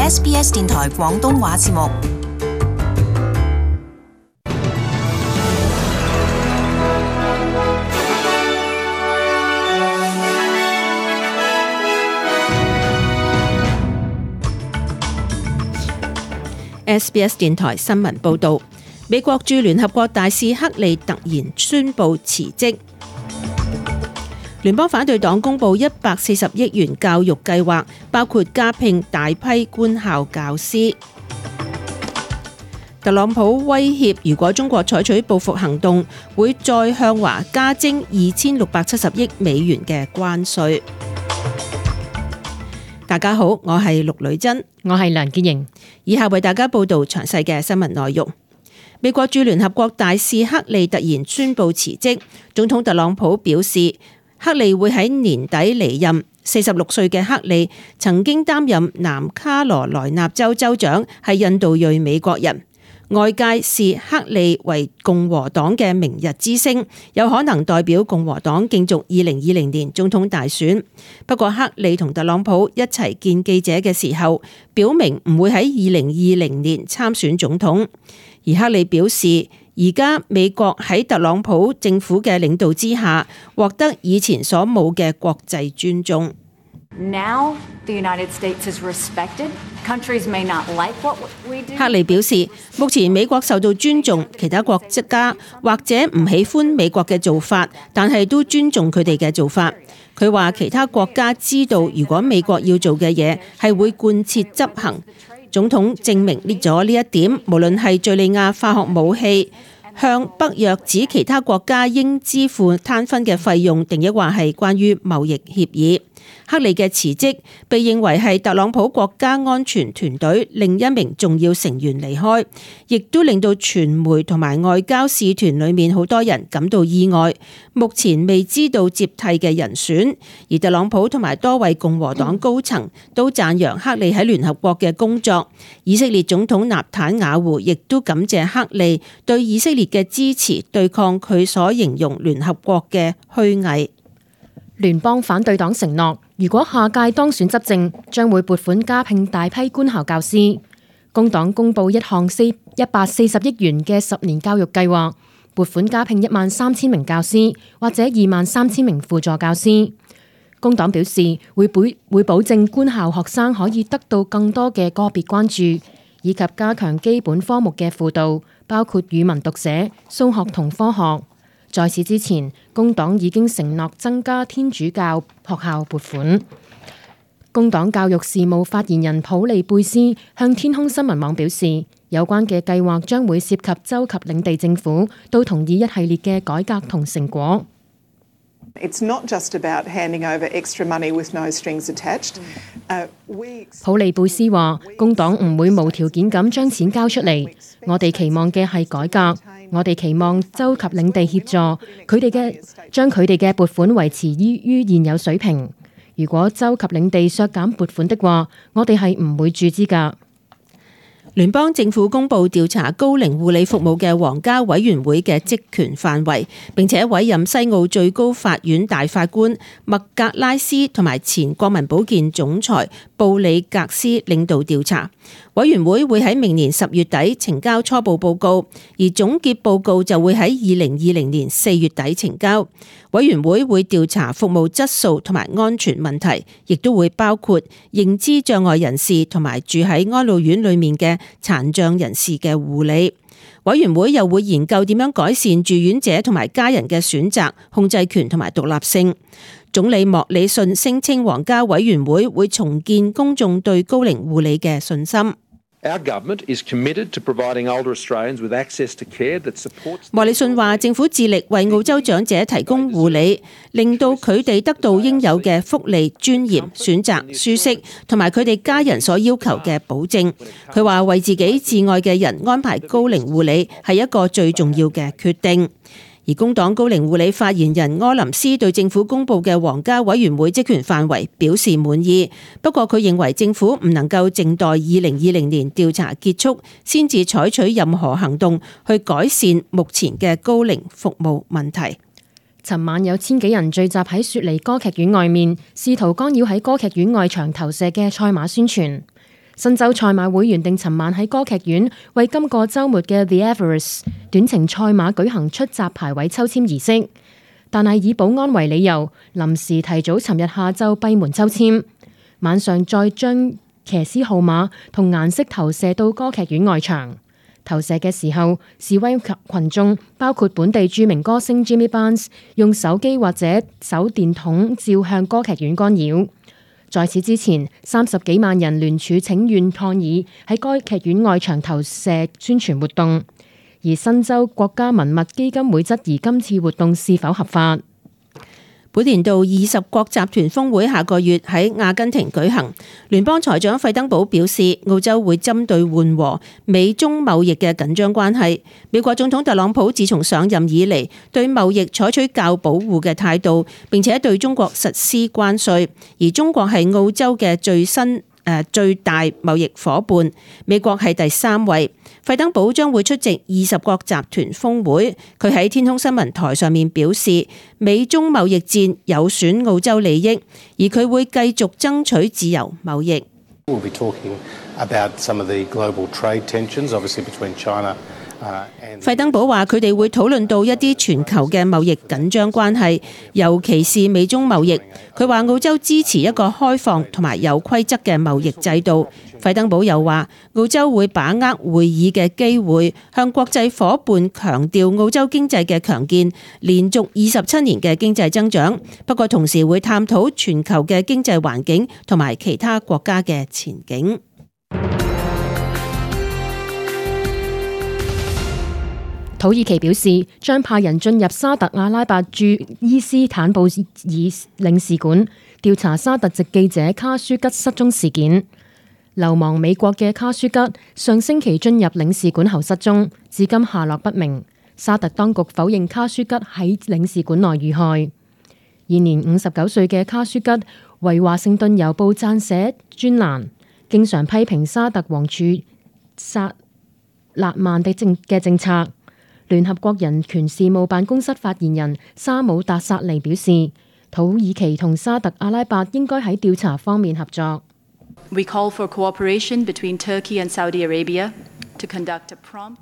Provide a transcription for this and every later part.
SBS 電台廣東話節目。SBS 電台新聞報導，美國駐聯合國大使克利突然宣布辭職。聯邦反對黨公布140億元教育計劃，包括加聘大批官校教師。特朗普威脅，如果中國採取報復行動，會再向華加徵2670億美元嘅關稅。大家好，我係陸女珍，我係梁潔瑩，以下為大家報道詳細嘅新聞內容。美國駐聯合國大使克利突然宣布辭職，總統特朗普表示，克利會喺年底離任。46歲嘅克利曾經擔任南卡羅來納州州長，係印度裔美國人。外界視克利為共和黨嘅明日之星，有可能代表共和黨競逐2020年總統大選。不過克利同特朗普一齊見記者嘅時候，表明唔會喺2020年參選總統。而克利表示，而家美國喺特朗普政府嘅領導之下，獲得以前所冇嘅國際尊重。Now the United States is respected. Countries may not like what we do. 克利表示，目前美國受到尊重，其他國家或者唔喜歡美國嘅做法，但係都尊重佢哋嘅做法。佢話其他國家知道，如果美國要做嘅嘢係會貫徹執行。總統證明咗呢一點，無論係敘利亞化學武器向北約指其他國家應支付攤分嘅費用，定抑或係關於貿易協議。克利嘅辭職被認為係特朗普國家安全團隊另一名重要成員離開，亦都令到傳媒同埋外交使團裏面好多人感到意外。目前未知道接替嘅人選，而特朗普同埋多位共和黨高層都讚揚克利喺聯合國嘅工作。以色列總統納坦雅胡亦都感謝克利對以色列嘅支持，對抗佢所形容聯合國嘅虛偽。聯邦反對黨承諾，如果下屆當選執政，將會撥款加聘大批官校教師。工黨公布一項140億元嘅10年教育計劃，撥款加聘13000名教師，或者23000名輔助教師。工黨表示會保證官校學生可以得到更多嘅個別關注，以及加強基本科目嘅輔導，包括語文讀寫、數學同科學。在此之前，工黨已經承諾增加天主教學校撥款。工黨教育事務發言人普利貝斯向天空新聞網表示，有關嘅計劃將會涉及州及領地政府都同意一系列嘅改革同成果。It's not just about handing over extra money with no strings attached. 普利貝斯話，工黨唔會無條件咁將錢交出嚟，我哋期望嘅係改革。我哋期望州及領地協助將佢哋嘅撥款維持於現有水平。如果州及領地削減撥款的話，我哋係唔會注資㗎。聯邦政府公布調查高齡護理服務嘅皇家委員會嘅職權範圍，並且委任西澳最高法院大法官麥格拉斯同埋前國民保健總裁布里格斯領導調查。委員會會喺明年10月底呈交初步報告，而總結報告就會喺2020年4月底呈交。委員會會調查服務質素同埋安全問題，亦都會包括認知障礙人士同埋住喺安老院裏面嘅殘障人士嘅護理。委員會又會研究點樣改善住院者同埋家人嘅選擇、控制權同埋獨立性。總理莫里遜聲稱皇家委員會會重建公眾對高齡護理嘅信心。莫里遜話：政府致力為澳洲長者提供護理，令到佢哋得到應有嘅福利、尊嚴、選擇、舒適，同埋佢哋家人所要求嘅保證。佢話為自己摯愛嘅人安排高齡護理係一個最重要嘅決定。而工黨高齡護理發言人柯林斯對政府公布嘅皇家委員會職權範圍表示滿意，不過佢認為政府唔能夠靜待2020年調查結束先至採取任何行動去改善目前嘅高齡服務問題。尋晚有千幾人聚集喺雪梨歌劇院外面，試圖干擾喺歌劇院外牆投射嘅賽馬宣傳。新州賽馬會原定尋晚喺歌劇院為今個週末嘅 The Everest 短程賽馬舉行出閘排位抽籤儀式，但係以保安為理由，臨時提早尋日下晝閉門抽籤，晚上再將騎師號碼同顏色投射到歌劇院外牆。投射嘅時候，示威群眾包括本地著名歌星 Jimmy Barnes 用手機或者手電筒照向歌劇院干擾。在此之前，30幾萬人聯署請願抗議喺歌劇院外牆投射宣傳活動，而新州國家文物基金會質疑今次活動是否合法。本年度20國集團峰會下個月喺阿根廷舉行，聯邦財長費登堡表示，澳洲會針對緩和美中貿易嘅緊張關係。美國總統特朗普自從上任以嚟，對貿易採取較保護嘅態度，並且對中國實施關稅，而中國係澳洲嘅最大貿易夥伴，美國係第3位。費登堡將會出席20國集團峰會，佢喺天空新聞台上面表示，美中貿易戰有損澳洲利益，而佢會繼續爭取自由貿易。We'll be talking about some of the global trade tensions, obviously between China. 費登堡話：佢哋會討論到一啲全球嘅貿易緊張關係，尤其是美中貿易。佢話澳洲支持一個開放同埋有規則嘅貿易制度。費登堡又話：澳洲會把握會議嘅機會，向國際夥伴強調澳洲經濟嘅強健，連續27年嘅經濟增長。不過同時會探討全球嘅經濟環境同埋其他國家嘅前景。土耳其表示將派人進入沙特阿拉伯駐伊斯坦布爾領事館調查沙特籍記者卡舒吉失蹤事件。流亡美國嘅卡舒吉上星期進入領事館後失蹤，至今下落不明。沙特當局否認卡舒吉喺領事館內遇害。現年59歲嘅卡舒吉為華盛頓郵報撰寫專欄，經常批評沙特王儲薩勒曼嘅政策。聯合國人權事務辦公室發言人沙姆達薩尼表示，土耳其同沙特阿拉伯應該喺調查方面合作。We call for cooperation between Turkey and Saudi Arabia to conduct a prompt。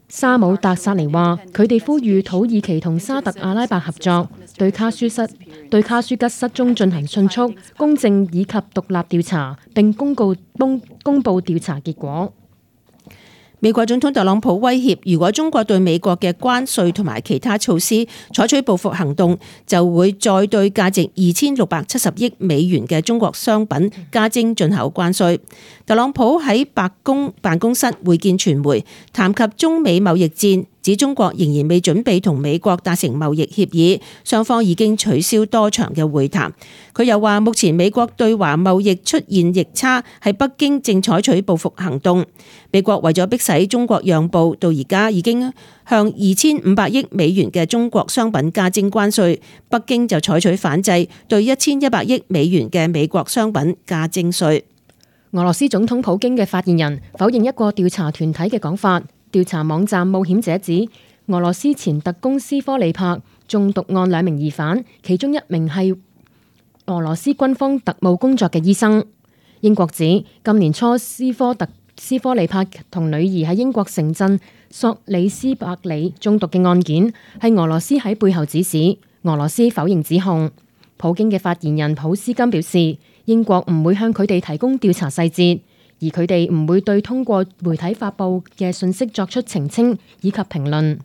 沙姆達薩尼話：佢哋呼籲土耳其同沙特阿拉伯合作，對卡舒吉失蹤進行迅速、公正以及獨立調查，並公布調查結果。美國總統特朗普威脅，如果中國對美國嘅關稅同埋其他措施採取報復行動，就會再對價值2670億美元嘅中國商品加徵進口關稅。特朗普喺白宮辦公室會見傳媒，談及中美貿易戰，指中國仍然未準備同美國達成貿易協議，雙方已經取消多場嘅會談。佢又話，目前美國對華貿易出現逆差，係北京正採取報復行動。美國為咗迫使中國讓步，到而家已經向2500億美元嘅中國商品加徵關稅，北京就採取反制，對1100億美元嘅美國商品加徵稅。俄羅斯總統普京嘅發言人否認一個調查團體嘅講法。調查網站冒險者指，俄羅斯前特工斯科利柏中毒案2名疑犯，其中1名係俄羅斯軍方特務工作嘅醫生。英國指今年初斯科利柏同女兒喺英國城鎮索里斯伯里中毒嘅案件係俄羅斯喺背後指使，俄羅斯否認指控。普京嘅發言人普斯金表示，英國唔會向佢哋提供調查細節，而佢哋唔會對通過媒體發布嘅信息作出澄清以及評論。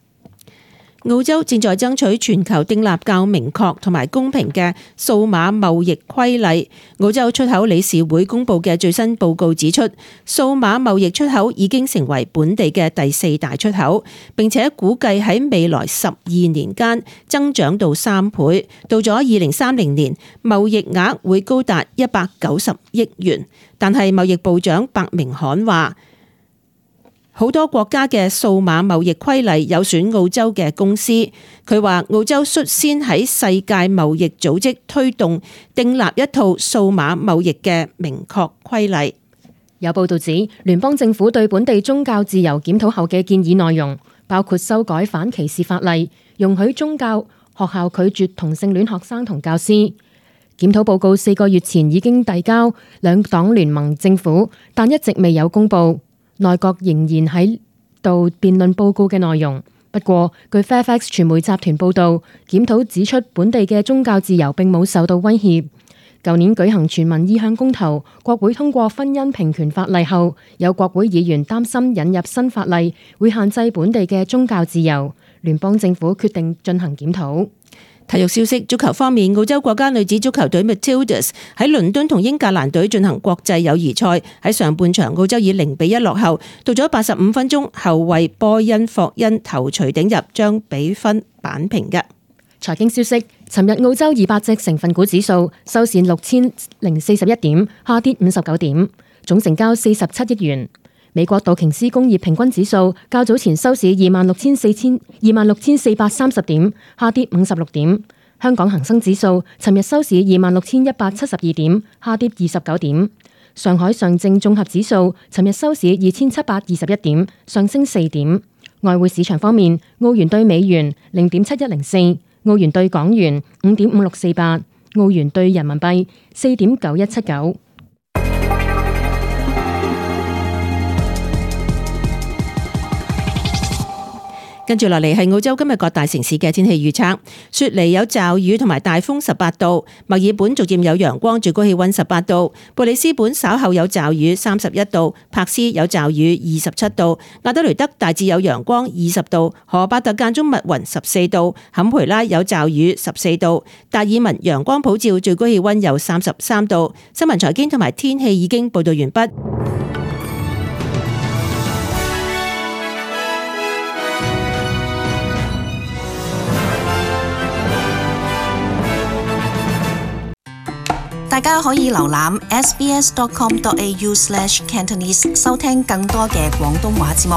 澳洲正在爭取全球訂立較明確同埋公平嘅數碼貿易規例。澳洲出口理事會公布嘅最新報告指出，數碼貿易出口已經成為本地嘅第4大出口，並且估計喺未來12年間增長到3倍，到咗2030年，貿易額會高達190億元。但係貿易部長白明罕話，好多國家嘅數碼貿易規例有損澳洲嘅公司。佢話澳洲率先喺世界貿易組織推動訂立一套數碼貿易嘅明確規例。有報道指，聯邦政府對本地宗教自由檢討後嘅建議內容，包括修改反歧視法例，容許宗教學校拒絕同性戀學生同教師。檢討報告4個月前已經遞交兩黨聯盟政府，但一直未有公佈。內閣仍然喺度辯論報告嘅內容。不過，據 Fairfax 傳媒集團報導，檢討指出本地嘅宗教自由並冇受到威脅。舊年舉行全民意向公投，國會通過婚姻平權法例後，有國會議員擔心引入新法例會限制本地嘅宗教自由。聯邦政府決定進行檢討。體育消息，足球方面，澳洲國家女子足球隊 Matildas 喺倫敦同英格蘭隊進行國際友誼賽，喺上半場澳洲以0-1落後，到咗85分鐘，後衛波恩霍恩頭槌頂入，將比分扳平嘅。財經消息，尋日澳洲200隻成分股指數收市6041點，下跌59點，總成交47億元。美國道瓊斯工業平均指數較早前收市26,430點，下跌56點。香港恒生指數尋日收市26,172點，下跌29點。上海上證綜合指數尋日收市2,721點，上升4點。外匯市場方面，澳元對美元0.7104，澳元對港元5.5648，澳元對人民幣4.9179。跟住落嚟係澳洲今日各大城市嘅天氣預測。雪梨有驟雨同埋大風18度，墨爾本逐漸有陽光，最高氣溫18度。布里斯本稍後有驟雨31度，柏斯有驟雨27度，亞德雷德大致有陽光20度，荷伯特間中密雲14度，坎培拉有驟雨14度，達爾文陽光普照，最高氣溫有33度。新聞財經同埋天氣已經報道完畢。大家可以瀏覽 sbs.com.au/cantonese 收聽更多嘅廣東話節目。